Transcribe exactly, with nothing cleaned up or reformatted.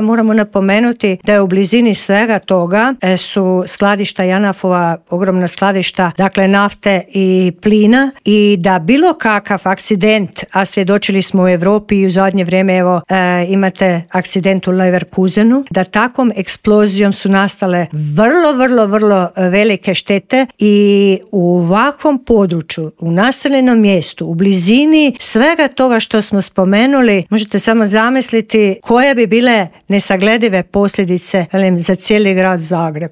Moramo napomenuti da je u blizini svega toga su skladišta Janafova, ogromna skladišta, dakle nafte i plina, i da bilo kakav akcident, a svjedočili smo u Europi i u zadnje vrijeme, evo e, imate akcident u Leverkusenu, da takvom eksplozijom su nastale vrlo, vrlo, vrlo velike štete i u ovakvom području, u naseljenom mjestu, u blizini svega toga što smo spomenuli, možete samo zamisliti koje bi bile nesagledive posljedice, velim, za cijeli grad Zagreb.